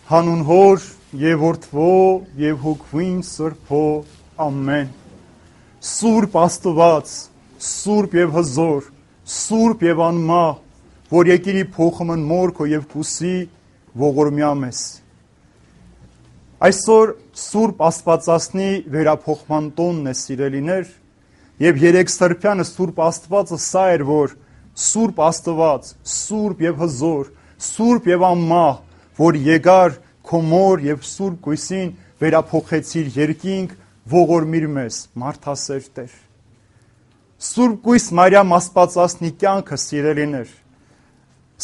Հանուն Հոր եւ Որդվո եւ Հոգվին Սրբո ամեն։ Սուրբ Աստված, Սուրբ եւ հզոր, Սուրբ եւ անմահ, որ եկիր փոխումն մորքո եւ կուսի ողորմյա մեզ։ Այսօր Սուրբ Աստվածածնի վերափոխման տոնն է, սիրելիներ, եւ երեք սրբյանը Սուրբ Աստվածը սա էր, որ Սուրբ Աստված, Սուրբ եւ հզոր, Սուրբ եւ անմահ, որ եկար քո մոր եւ Սուրբ Գույսին վերափոխեցիր երկինք, ողորմիր մեզ, մարդասեր Տեր։ Սուրբ Գույս Մարիամ Աստվածածնի կյանքը, սիրելիներ,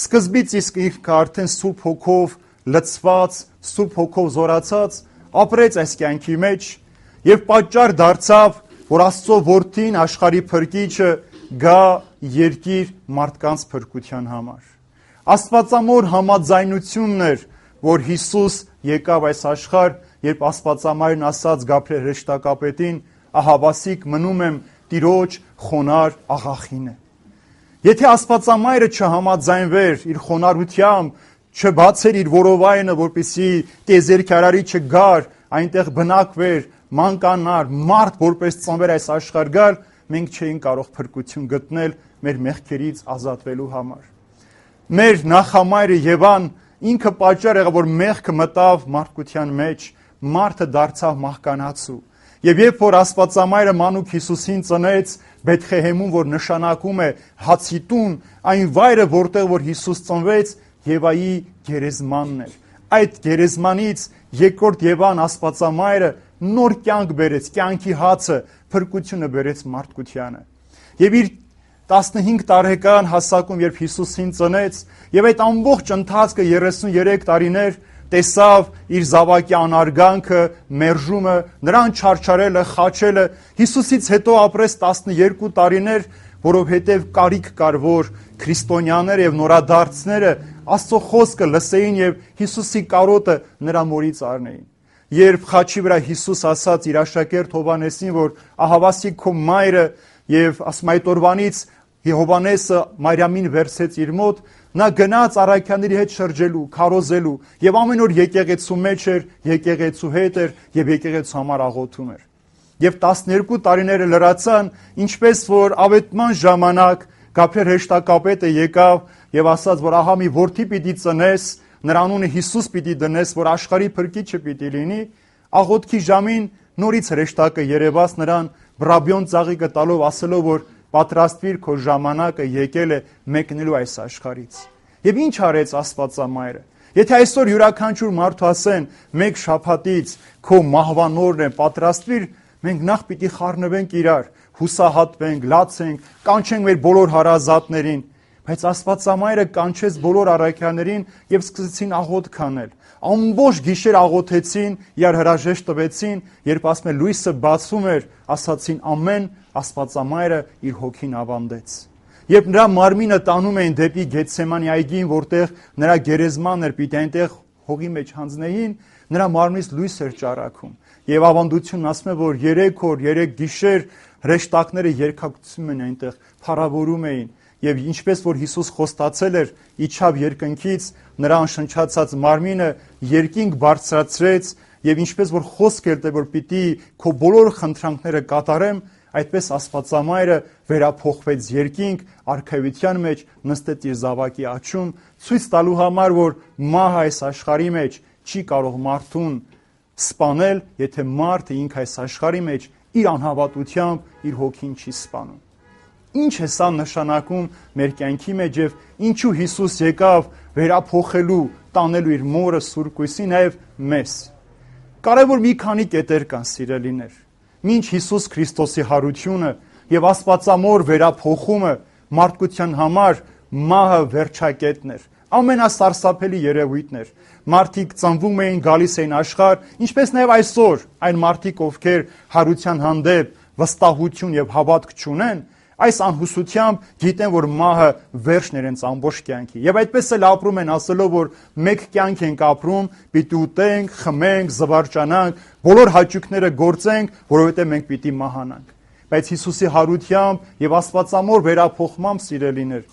սկզբից իսկ ինքը արդեն Սուրբ Հոգով լցված, Սուրբ Հոգով զորացած ապրեց այս կյանքի մեջ եւ պատճառ դարձավ, որ Աստծո որդին աշխարհի փրկիչը գա երկիր մարդկանց փրկության համար։ Աստվածամոր համաձայնությունն էր, որ Հիսուս եկավ այս աշխարհ, երբ Աստվածամայրն ասաց Գաբրիել հրեշտակապետին, ահավասիկ մնում եմ Տիրոջ խոնար աղախինը։ Եթե Աստվածամայրը չհամաձայնվեր իր խոնարհությամբ, չբացեր իր որովայնը, որպեսզի տիեզերքի արարիչը գար, այնտեղ բնակվեր, մանկանար, մարդ որպես ծնվեր այս աշխարհ գար, մենք չէինք կարող փրկություն գտնել մեր մեղքերից ազատվելու համար։ Մեր նախամայրը Եվան ինքը պատճառ եղավ, որ մեղքը մտավ մարդկության մեջ, մարդը դարձավ մահկանացու։ Եվ երբ որ Աստվածամայրը մանուկ Հիսուսին ծնեց Բեթխեհեմում, որ նշանակում է հացի տուն, այն վայրը, որտեղ որ Հիսուս ծնվեց, Եվայի գերեզմանն էր։ Այդ գերեզմանից երկրորդ Եվան Աստվածամայրը նոր կյանք բերեց, կյանքի հացը, փրկությունը բերեց մարդկությանը։ Եվ իր 15 տարեկան հասակում, երբ Հիսուսին ծնեց, եւ այդ ամբողջ ընթացքը 33 տարիներ տեսավ իր զավակի անարգանքը, մերժումը, նրան չարչարելը, խաչելը, Հիսուսից հետո ապրեց 12 տարիներ, որովհետև կարիք կար, որ քրիստոնյաները եւ նորադարձները Աստծո խոսքը լսեին եւ Հիսուսի կարոտը նրա մորից առնեին։ Երբ խաչի վրա Հիսուս ասաց իր աշակերտ Հովհաննեսին, որ ահավասիկ քո մայրը, եւ ասում այդ օրվանից Հովհաննեսը Մարիամին վերցեց իր մոտ, նա գնաց առաքյանների հետ շրջելու, քարոզելու եւ ամեն օր եկեղեցու մեջ էր, եկեղեցու հետ էր եւ եկեղեցու համար աղոթում էր։ Եվ 12 տարիները լրացան, ինչպես որ ավետման ժամանակ Գաբրիել հրեշտակապետը եկավ եւ ասաց, որ ահա մի որդի պիտի ծնես, նրա անունը Հիսուս պիտի դնես, որ աշխարհի փրկիչը պիտի լինի, աղոթքի ժամին նորից հրեշտակը երևաց նրան բրաբյոն ծաղիկը տալով, ասելով, որ պատրաստվիր, քո ժամանակը եկել է մեկնելու այս աշխարհից։ Եվ ինչ արեց Աստվածամայրը։ Եթե այսօր յուրաքանչյուր մարդու ասեն, մեկ շաբաթից քո մահվանորն է, պատրաստվիր, մենք նախ պիտի խառնվենք իրար, հուսահատվենք, լացենք, կանչենք մեր բոլոր հարազատներին, բայց Աստվածամայրը կանչեց բոլոր առաքյալներին եւ սկսեցին աղոթք անել։ Ամբողջ գիշեր աղոթեցին, իրար հրաժեշտ տվեցին, երբ ասում է լույսը բացվում էր, ասացին ամեն, Աստվածամայրը իր հոգին ավանդեց։ Երբ նրա մարմինը տանում էին դեպի Գեթսեմանի այգին, որտեղ նրա գերեզմանն էր, պիտի այնտեղ հողի մեջ հանձնեին, նրա մարմնից լույս էր ճառագում։ Եվ ավանդությունն ասում է, որ 3 օր, 3 գիշեր հրեշտակները երկակցում են այնտեղ, փառավորում էին։ Եվ ինչպես որ Հիսուս խոստացել էր, իջավ երկնքից, նրան շնչացած մարմինը երկինք բարձրացրեց, եւ ինչպես որ խոսք էր տեղ, որ պիտի քո բոլոր խնդրանքները կատարեմ, այդպես Աստվածամայրը վերափոխվեց երկինք, արքայության մեջ նստեց իր զավակի աջում, ցույց տալու համար, որ մահը այս աշխարհի մեջ չի կարող մարդուն սպանել, եթե մարդը ինքը այս աշխարհի մեջ իր անհավատությամբ իր հոգին չի սպանում։ Ինչ է սա նշանակում մեր կյանքի մեջ եւ ինչու Հիսուս եկավ վերափոխելու, տանելու իր մորը Սուրբ Գույսի նաեւ մեզ։ Կարևոր մի քանի կետեր կան, սիրելիներ։ Մինչ Հիսուս Քրիստոսի հարությունը եւ Աստվածամոր վերափոխումը մարդկության համար մահը վերջակետն էր։ Ամենասարսափելի երևույթն էր։ Մարդիկ ծնվում էին, գալիս էին աշխարհ, ինչպես նաեւ այսօր այն մարդիկ, ովքեր հարության հանդեպ վստահություն եւ հավատք չունեն, այս անհուսությամբ գիտեն, որ մահը վերջն է իրենց ամբողջ կյանքի։ Եվ այդպես էլ ապրում են, ասելով, որ մեկ կյանք ենք ապրում, պիտի ուտենք, խմենք, զվարճանանք, բոլոր հաճույքները գործենք, որովհետև մենք պիտի մահանանք։ Բայց Հիսուսի հարությամբ եւ Աստվածամոր վերափոխմամբ, սիրելիներ,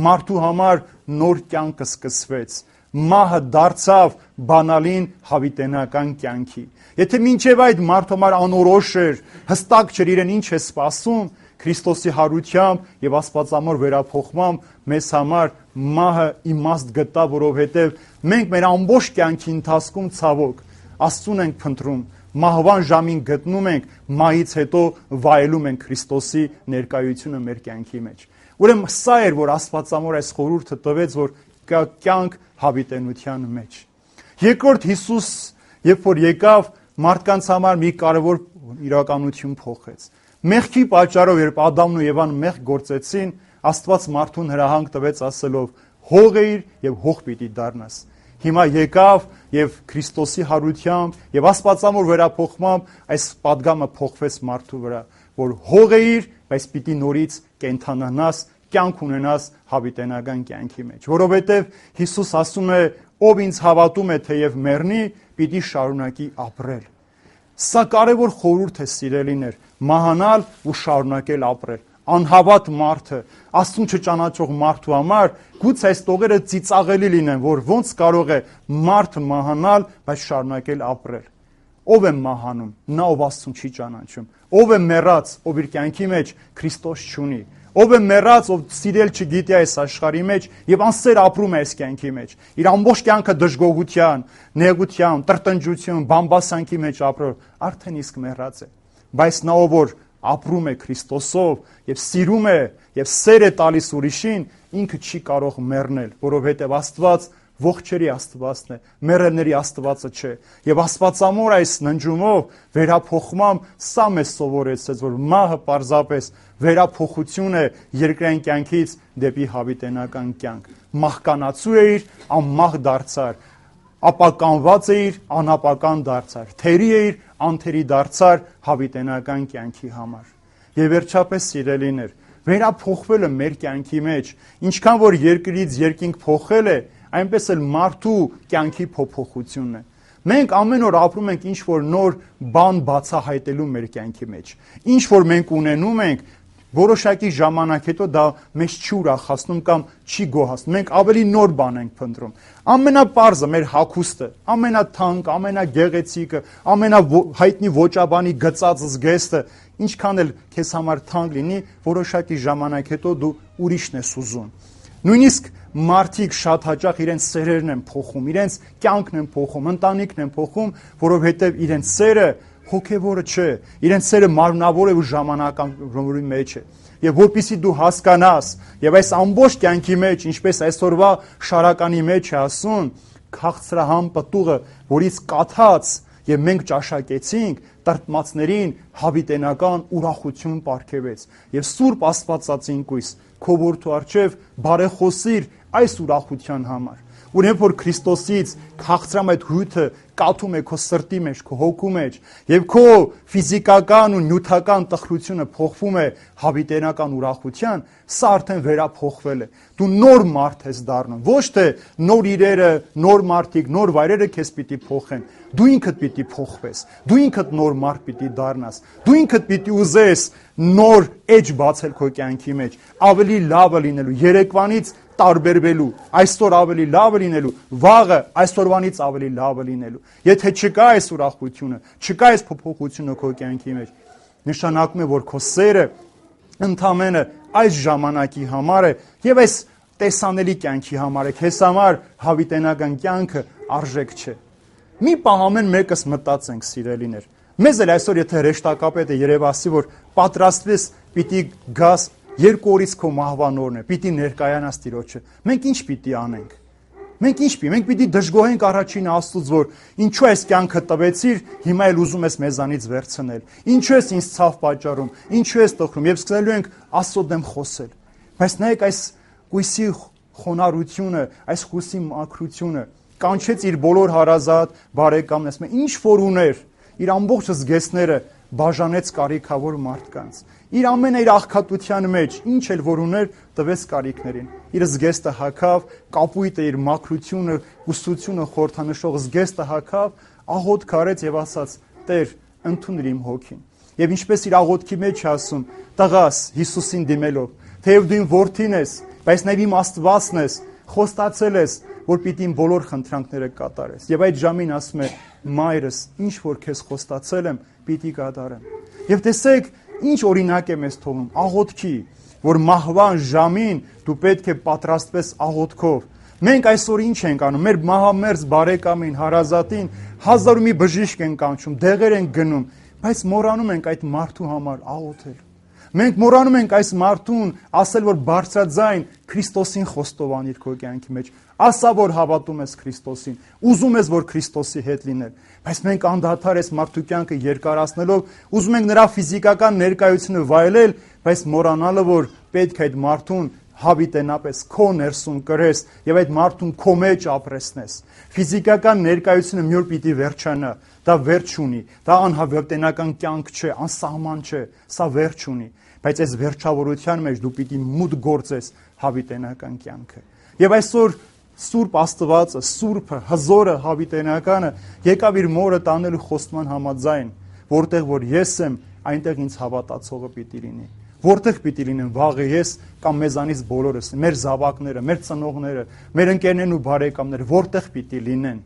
մարդու համար նոր կյանք սկսվեց։ մահը դարձավ բանալին հավիտենական կյանքի։ Եթե մինչև այդ մարդը համար անորոշ էր, հստակ չէր իրեն ինչ է սպասում, Քրիստոսի հարությամբ եւ աստվածամոր վերափոխմամբ մեզ համար մահը իմաստ գտա, որովհետեւ մենք մեր ամբողջ կյանքի ընթացքում ցավոք Աստծուն ենք փնտրում, մահվան ժամին գտնում ենք, մահից հետո վայելում ենք Քրիստոսի ներկայությունը մեր կյանքի մեջ։ Ուրեմն սա էր, որ աստվածամոր այս խորհուրդը տվեց, որ կա կյանք հավիտենության մեջ։ Երկրորդ Հիսուս, երբ որ եկավ, մարդկանց համար մի կարևոր իրականություն փոխեց։ Մեղքի պատճառով, երբ Ադամն ու Եվան մեղք գործեցին, Աստված մարդուն հրահանգ տվեց ասելով. հող էիր եւ հող պիտի դառնաս։ Հիմա եկավ եւ Քրիստոսի հարությամբ եւ աստվածամոր վերափոխմամբ այս պատգամը փոխվեց մարդու վրա, որ հող էիր, բայց պիտի նորից կենթանանաս, կյանք ունենաս հավիտենական կյանքի մեջ, որովհետեւ Հիսուս ասում է, ով ինձ հավատում է, թեև մեռնի, պիտի շարունակի ապրել։ Սա կարևոր խորհուրդ է, սիրելիներ, մահանալ ու շարունակել ապրել։ Անհավատ մարդը, Աստծուն չճանաչող մարդու համար գուցե այս տողերը ծիծաղելի լինեն, որ ոնց կարող է մարդը մահանալ, բայց շարունակել ապրել։ Ով է մահանում, նա ով Աստծուն չի ճանաչում։ Ով է մեռած, ով իր կյանքի մեջ Քրիստոս չունի։ Ով է մեռած, ով սիրել չգիտի այս աշխարհի մեջ եւ անսեր ապրում է այս կյանքի մեջ։ Իր ամբողջ կյանքը դժգոհության, նեղության, տրտնջություն, բամբասանքի մեջ ապրող, արդեն իսկ մեռած է։ Բայց նա ով որ ապրում է Քրիստոսով եւ սիրում է եւ սեր է տալիս ուրիշին, ինքը չի կարող մեռնել, որովհետեւ Աստված ողջերի Աստվածն է, մեռելների Աստվածը չէ։ Եվ Աստվածամոր այս ննջումով վերափոխմամբ սա մեզ սովորեցրեց, որ մահը պարզապես վերափոխություն է երկրային կյանքից դեպի հավիտենական կյանք։ Մահկանացու էիր, անմահ դարձար, ապականված էիր, անապական դարձար, թերի էիր, անթերի դարձար հավիտենական կյանքի համար։ Եվ վերջապես սիրելիներ, վերափոխվելը մեր կյանքի մեջ, ինչքան որ երկրից երկինք փոխել է, այնպես էլ մարդու կյանքի փոփոխությունն է։ Մենք ամեն օր ապրում ենք ինչ որ նոր բան բացահայտելու մեր կյանքի մեջ։ Ինչ որ մենք ունենում ենք, որոշակի ժամանակ հետո դա մեզ չի ուրախացնում կամ չի գոհացնում։ Մենք ավելի նոր բան ենք փնտրում։ Ամենապարզը մեր հագուստը, ամենաթանկ, ամենագեղեցիկը, ամենահայտնի ոճաբանի գծած զգեստը, ինչքան էլ քեզ համար թանկ լինի, որոշակի ժամանակ հետո դու ուրիշն ես ուզում։ Նույնիսկ մարդիկ շատ հաճախ իրենց սերերն են փոխում, իրենց կյանքն են փոխում, ընտանիքն են փոխում, որովհետև իրենց սերը հոգևորը չէ, իրենց սերը մարմնավոր է ու ժամանակավորի մեջ է։ Եվ որպեսզի դու հասկանաս, եւ այս ամբողջ կյանքի մեջ, ինչպես այսօրվա շարականի մեջ է ասում, քաղցրահամ պտուղը, որից կաթած եւ մենք ճաշակեցինք, տրտմածներին հավիտենական ուրախություն պարգևեց։ Եվ Սուրբ Աստվածածին կույս քո որդու առջև բարեխոսիր այս ուրախության համար։ Ուրեմն որ Քրիստոսից քաղցրամ այդ հույթը կաթում է քո սրտի մեջ, քո հոգու մեջ, եւ քո ֆիզիկական ու նյութական տխրությունը փոխվում է հավիտենական ուրախության, սա արդեն վերափոխվել է։ Դու նոր մարդ ես դառնում, ոչ թե նոր իրերը, նոր մարդիկ, նոր վայրերը քեզ պիտի փոխեն։ Դու ինքդ պիտի փոխվես, դու ինքդ նոր մարդ պիտի դառնաս, դու ինքդ պիտի ուզես նոր էջ բացել քո կյանքի մեջ, ավելի լավը լինելու, երեկվանից տարբերվելու, այսօր ավելի լավը լինելու, վաղը այսօրվանից ավելի լավը լինելու։ Եթե չկա այս ուրախությունը, չկա այս փոփոխությունը քո կյանքի մեջ, նշանակում է, որ քո սերը ընդամենը այս ժամանակի համար է եւ այս տեսանելի կյանքի համար է, քեզ համար հավիտենական կյանքը արժեք չէ։ Մի պահ ամեն մեկս մտածենք, սիրելիներ։ Մեզ էլ այսօր եթե հրեշտակապետը երևասի, որ պատրաստվես, պիտի գաս 2 օրից քո մահվան օրն է, պիտի ներկայանաս Տիրոջը։ Մենք ինչ պիտի անենք։ Մենք պիտի դժգոհենք առաջին Աստծուց, որ ինչու այս կյանքը տվեցիր, հիմա էլ ուզում ես մեզանից վերցնել։ Ինչու ես ինձ ցավ պատճառում, ինչու ես տխրում, եւ սկսելու ենք Աստծո դեմ խոսել։ Բայց նայեք այս կույսի խոնարհությունը, այս հույսի մաքրությունը, կանչեց իր բոլոր հարազատ բարեկամներն, ասում է, ինչ որ ուներ, իր ամբողջ զգեստները բաժանեց կարիքավոր մարդկանց։ Իր ամենը իր աղքատության մեջ, ինչ էլ որ ուներ, տվեց կարիքներին։ Իր զգեստը հագավ, կապույտը իր մաքրությունը, ուսուցությունը խորհրդանշող զգեստը հագավ, աղոթք արեց եւ ասաց. Տեր, ընդունիր իմ հոգին։ Եվ ինչպես իր աղոթքի մեջ է ասում, տղաս Հիսուսին դիմելով, թեև դու իմ որդին ես, բայց նաեւ իմ Աստվածն ես, խոստացել ես, որ պիտի իմ բոլոր խնդրանքները կատարես։ Եվ այդ ժամին ասում է. մայրս, ինչ որ քեզ խոստացել եմ, պիտի կատարեմ։ Եվ տեսեք, ինչ օրինակ է մեզ թողնում աղոթքի, որ մահվան ժամին դու պետք է պատրաստվես աղոթքով։ Մենք այսօր ինչ ենք անում, մեր մահամերձ բարեկամին, հարազատին հազար ու մի բժիշկ են կանչում, դեղեր են գնում, բայց մոռանում ենք այդ մարդու համար աղոթել։ Մենք մոռանում ենք այս մարդուն ասել, որ բարձրաձայն Քրիստոսին խոստովանիր քո կյանքի մեջ։ Ասա, որ հավատում ես Քրիստոսին, ուզում ես, որ Քրիստոսի հետ լինել, բայց մենք անդադար այս մարդու կյանքը երկարացնելով ուզում ենք նրա ֆիզիկական ներկայությունը վայելել, բայց մոռանալը, որ պետք է այդ մարդուն հավիտենապես քո ներսում կրես եւ այդ մարդուն քո մեջ ապրեսնես։ Ֆիզիկական ներկայությունը մի օր պիտի վերջանա, դա վերջ ունի, դա անհավատենական կյանք չէ, անսահման չէ, սա վերջ ունի, բայց այս վերջավորության մեջ դու պիտի մուտք գործես հավիտենական կյանքը։ Եվ այսօր Սուրբ Աստվածը, Սուրբը, հզորը, հավիտենականը եկավ իր մորը տանելու խոստման համաձայն, որտեղ որ ես եմ, այնտեղ ինձ հավատացողը պիտի լինի։ Որտեղ պիտի լինեն վաղը ես կամ մեզանից բոլորս, մեր զավակները, մեր ծնողները, մեր ընկերներն ու բարեկամները, որտեղ պիտի լինեն։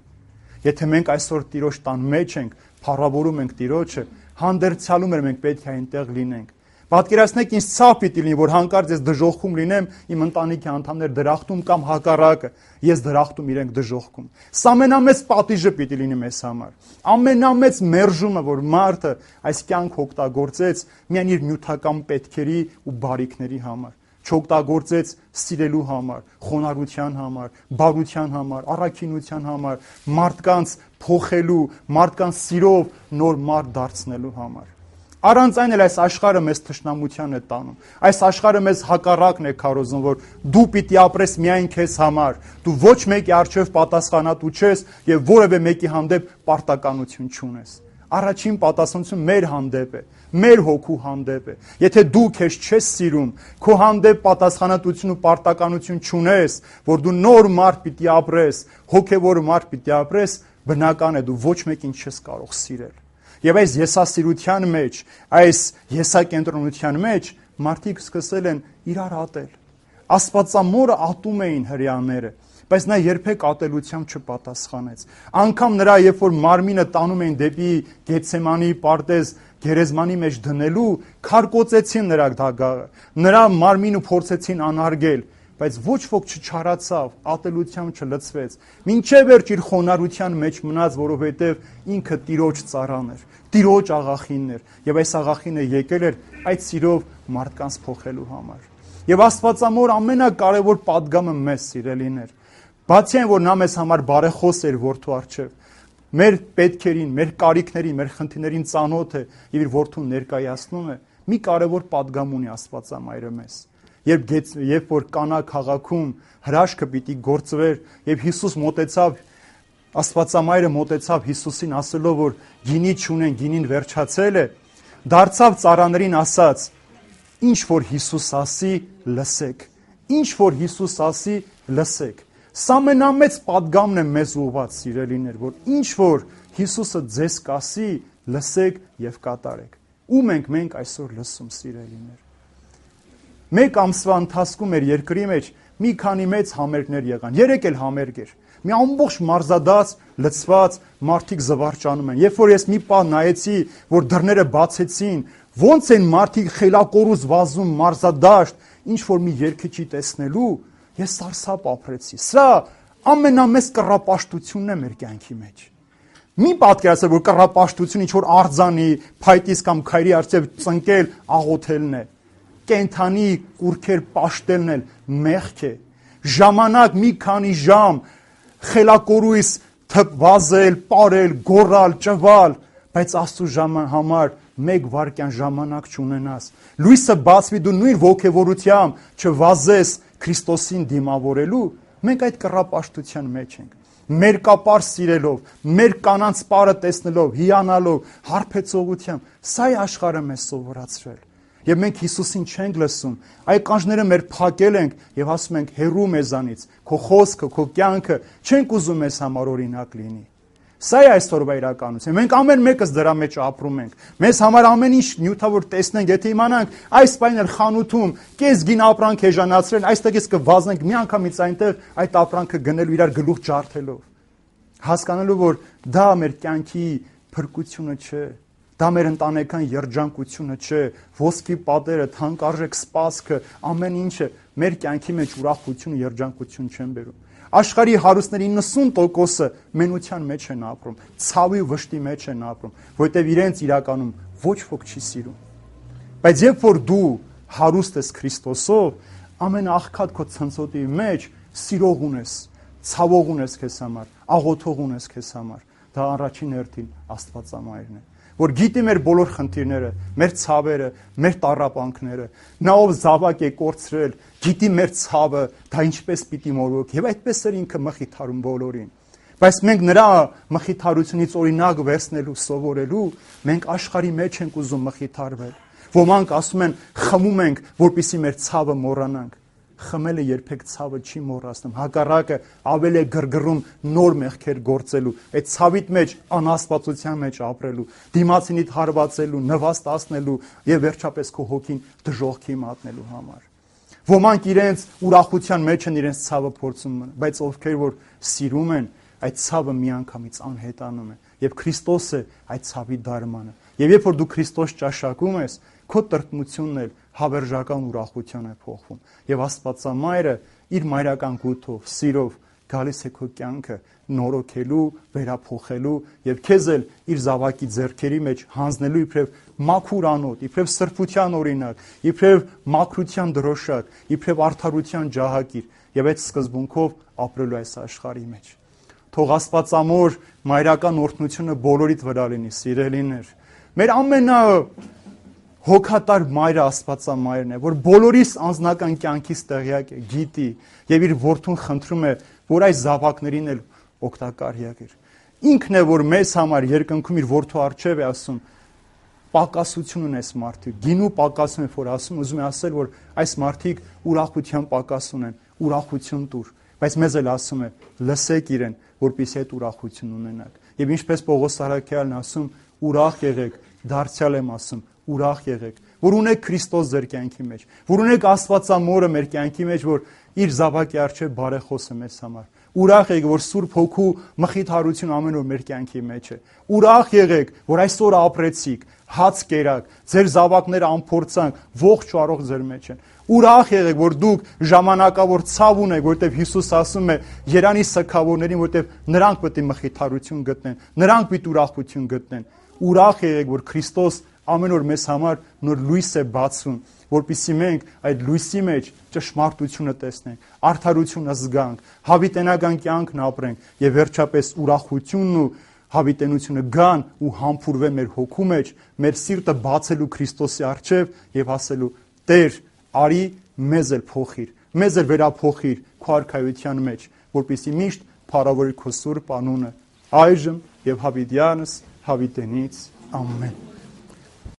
Եթե մենք այսօր Տիրոջ տան մեջ ենք, փառավորում ենք Տիրոջը, հանդերձյալում ենք մենք պետք է այնտեղ լինենք։ Պատկերացնեք ինձ ցավ պիտի լինի, որ հանկարծ ես դժոխքում լինեմ, իմ ընտանիքի անդամներ դրախտում կամ հակառակը, ես դրախտում իրենք դժոխքում։ Սա ամենամեծ պատիժը պիտի լինի մեզ համար։ Ամենամեծ մերժումը, որ մարդը այս կյանք օգտագործեց միայն իր նյութական պետքերի ու բարիքների համար, չօգտագործեց սիրելու համար, խոնարհության համար, բարության համար, առաքինության համար, մարդկանց փոխելու, մարդկանց սիրով նոր մարդ դարձնելու համար։ Առանց այն էլ այս աշխարհը մեզ թշնամության է տանում։ Այս աշխարհը մեզ հակառակն է քարոզում, որ դու պիտի ապրես միայն քեզ համար, դու ոչ մեկի առջև պատասխանատու չես եւ որևէ մեկի հանդեպ պարտականություն չունես։ Առաջին պատասխանությունը մեր հանդեպ է, մեր հոգու հանդեպ է։ Եթե դու քեզ չես սիրում, քո հանդեպ պատասխանատվություն ու պարտականություն չունես, որ դու նոր մարդ պիտի ապրես, հոգեվոր մարդ պիտի ապրես, բնական է դու ոչ մեկին չես կարող սիրել։ Եվ այս եսասիրության մեջ, այս եսակենտրոնության մեջ մարդիկ սկսել են իրար ատել։ Աստվածամորը ատում էին հրեաները, բայց նա երբեք ատելությամբ չպատասխանեց։ Անգամ նրա, երբ որ մարմինը տանում էին դեպի Գեթսեմանի պարտեզ գերեզմանի մեջ դնելու, քարկոծեցին նրա դագաղը, նրա մարմինը փորձեցին անարգել, բայց ոչ ոք չչարացավ, ատելությամբ չլցվեց։ Մինչև վերջ իր խոնարհության մեջ մնաց, որովհետև ինքը Տիրոջ ծառան էր, Տիրոջ աղախինն էր, եւ այս աղախինը եկել էր այդ սիրով մարդկանց փոխելու համար։ Եվ Աստվածամոր ամենակարևոր պատգամը մեզ սիրելիներ, բացի այն, որ նա մեզ համար բարեխոս էր որդու առջև, մեր պետքերին, մեր կարիքներին, մեր խնդիրներին ծանոթ է եւ իր որդուն ներկայացնում է, մի կարևոր պատգամ ունի Աստվածամայրը մեզ։ Երբ որ Կանա քաղաքում հրաշքը պիտի գործվեր եւ Հիսուս մոտեցավ, Աստվածամայրը մոտեցավ Հիսուսին ասելով, որ գինի չունեն, գինին վերջացել է, դարձավ ծառաներին ասաց. ինչ որ Հիսուս ասի, լսեք։ Ինչ որ Հիսուս ասի, լսեք։ Սա ամենամեծ պատգամն է մեզ ուղղված, սիրելիներ, որ ինչ որ Հիսուսը ձեզ կասի, լսեք եւ կատարեք։ Ում ենք մենք այսօր լսում, սիրելիներ։ Մեկ ամսվա ընթացքում մեր երկրի մեջ մի քանի մեծ համերգներ եղան։ 3 էլ համերգ էր։ Մի ամբողջ մարզադաց լցված մարդիկ զվարճանում են։ Երբ որ ես մի պահ նայեցի, որ դռները բացեցին, ոնց են մարդիկ խելակորուզ վազում մարզադաշտ, ինչ որ մի երգիչի տեսնելու, ես սարսափ ապրեցի։ Սա ամենամեծ կռապաշտությունն է մեր կյանքի մեջ։ Մի պատկերացրեք, որ կռապաշտություն ինչ որ արձանի, փայտից կամ քայրի առջև ծնկել, աղոթելն է։ Կենթանի կուրքեր պաշտելն էլ մեղք է։ Ժամանակ մի քանի ժամ խելակորույս վազել, պարել, գոռալ, ճվալ, բայց Աստծո համար մեկ վայրկյան ժամանակ չունենաս։ Լույսը բացվի, դու նույն ոգևորությամբ չվազես Քրիստոսին դիմավորելու, մենք այդ կռապաշտության մեջ ենք։ Մերկապար սիրելով, մեր կանանց պարը տեսնելով, հիանալով, հարբեցողությամբ, սա է աշխարհը մեզ սովորացրել։ Եվ մենք Հիսուսին չենք լսում, այլ կանչները մեր փակել ենք եւ ասում ենք հեռու մեզանից, քո խոսքը, քո կյանքը չենք ուզում մեզ համար օրինակ լինի։ Սա է այսօրվա իրականությունը։ Մենք ամեն մեկս դրա մեջ ապրում ենք։ Մեզ համար ամեն ինչ նյութավոր տեսնենք, եթե իմանանք այս բանը խանութում կես գին ապրանք էժանացրել, այստեղից կվազենք միանգամից այնտեղ այդ ապրանքը գնելու իրար գլուխ ջարդելով։ Հասկանալու, որ դա մեր կյանքի փրկությունը չէ, դա մեր ընտանեկան երջանկությունը չէ, ոսկի պատերը, թանկարժեք սպասքը, ամեն ինչը մեր կյանքի մեջ ուրախություն ու երջանկություն չեն բերում։ Աշխարհի հարուստների 90%-ը մենության մեջ են ապրում, ցավի ու վշտի մեջ են ապրում, որտեղ իրենց իրականում ոչ ոք չի սիրում։ Բայց երբ որ դու հարուստ ես Քրիստոսով, ամեն աղքատ քո ցնցոտի մեջ սիրող ունես, ցավող ունես քեզ համար, աղոթող ունես քեզ համար, դա առաջին հերթին Աստվածամայրն է, որ գիտի մեր բոլոր խնդիրները, մեր ցավերը, մեր տառապանքները, նա ով զավակ է կորցրել, գիտի մեր ցավը, դա ինչպես պիտի մորոք, եւ այդպես էր ինքը մխիթարում բոլորին։ Բայց մենք նրա մխիթարությունից օրինակ վերցնելու, սովորելու, մենք աշխարհի մեջ ենք ուզում մխիթարվել։ Ոմանք ասում են, խմում ենք, որպեսզի մեր ցավը մոռանանք։ Խմելը երբեք ցավը չի մոռացնում, հակառակը ավելի է գրգռում նոր մեղքեր գործելու, այդ ցավիտ մեջ անաստվածության մեջ ապրելու, դիմացինիդ հարվածելու, նվաստացնելու եւ վերջապես քո հոգին դժոխքի մատնելու համար։ Ոմանք իրենց ուրախության մեջ են իրենց ցավը փորձում, բայց ովքեր որ սիրում են, այդ ցավը միանգամից անհետանում է եւ Քրիստոսը այդ ցավի դարմանը։ Եվ երբ որ դու Քրիստոս ճաշակում ես, քո տրտմությունն էլ հավերժական ուրախության է փոխվում եւ Աստվածամայրը իր մայրական գութով, սիրով գալիս է քո կյանքը նորոգելու, վերափոխելու եւ քեզ էլ իր զավակի ձեռքերի մեջ հանձնելու իբրև մաքուր անոթ, իբրև սրբության օրինակ, իբրև մաքրության դրոշակ, իբրև արդարության ջահակիր եւ այդ սկզբունքով ապրելու այս աշխարհի մեջ։ Թող Աստվածամոր մայրական օրհնությունը բոլորիդ վրա լինի, սիրելիներ։ Մեր հոգատար մայրը Աստվածամայրն է, որ բոլորիս անձնական կյանքից տեղյակ է, գիտի եւ իր որդուն խնդրում է, որ այս զավակներին էլ օգտակար եղիր։ Ինքն է, որ մեզ համար երկնքում իր որդու առջև է ասում, պակասություն ունես մարդիկ, գինու պակասում է, որ ասում, ուզում է ասել, որ այս մարդիկ ուրախության պակաս ունեն, ուրախություն տուր, բայց մեզ էլ ասում է, լսեք իրեն, որպեսզի այդ ուրախություն ունենաք։ Եվ ինչպես Պողոս Արաքյալն ասում, ուրախ եղեք, դարձյալ եմ ասում, ուրախ եղեք, որ ունեք Քրիստոս ձեր կյանքի մեջ, որ ունեք Աստվածամորը մեր կյանքի մեջ, որ իր զավակի առջև բարեխոս է մեզ համար։ Ուրախ եղեք, որ Սուրբ Հոգու մխիթարություն ամեն օր մեր կյանքի մեջ է։ Ուրախ եղեք, որ այսօր ապրեցիք, հաց կերաք, ձեր զավակները անփորձանք, ողջ ու առողջ ձեր մեջ են։ Ուրախ եղեք, որ դուք ժամանակավոր ցավ ունեք, որտեղ Հիսուս ասում է Երանի սգավորներին, որտեղ նրանք պետք է մխիթարություն գտնեն, նրանք պետք է ուրախություն գտնեն։ Ուրախ եղեք, որ Քրիստոս ամեն օր մեզ համար նոր լույս է բացում, որպեսզի մենք այդ լույսի մեջ ճշմարտությունը տեսնենք, արդարությունը զգանք, հավիտենական կյանքն ապրենք եւ վերջապես ուրախությունն ու հավիտենությունը գան ու համբուրվեն մեր հոգու մեջ, մեր սիրտը բացելու Քրիստոսի առջև եւ ասելու. Տեր, արի մեզ էլ փոխիր, մեզ էլ վերափոխիր քո արքայության մեջ, որպեսզի միշտ փառավորի քո սուրբ անունը, այժմ եւ հավիտյանս հավիտենից ամեն։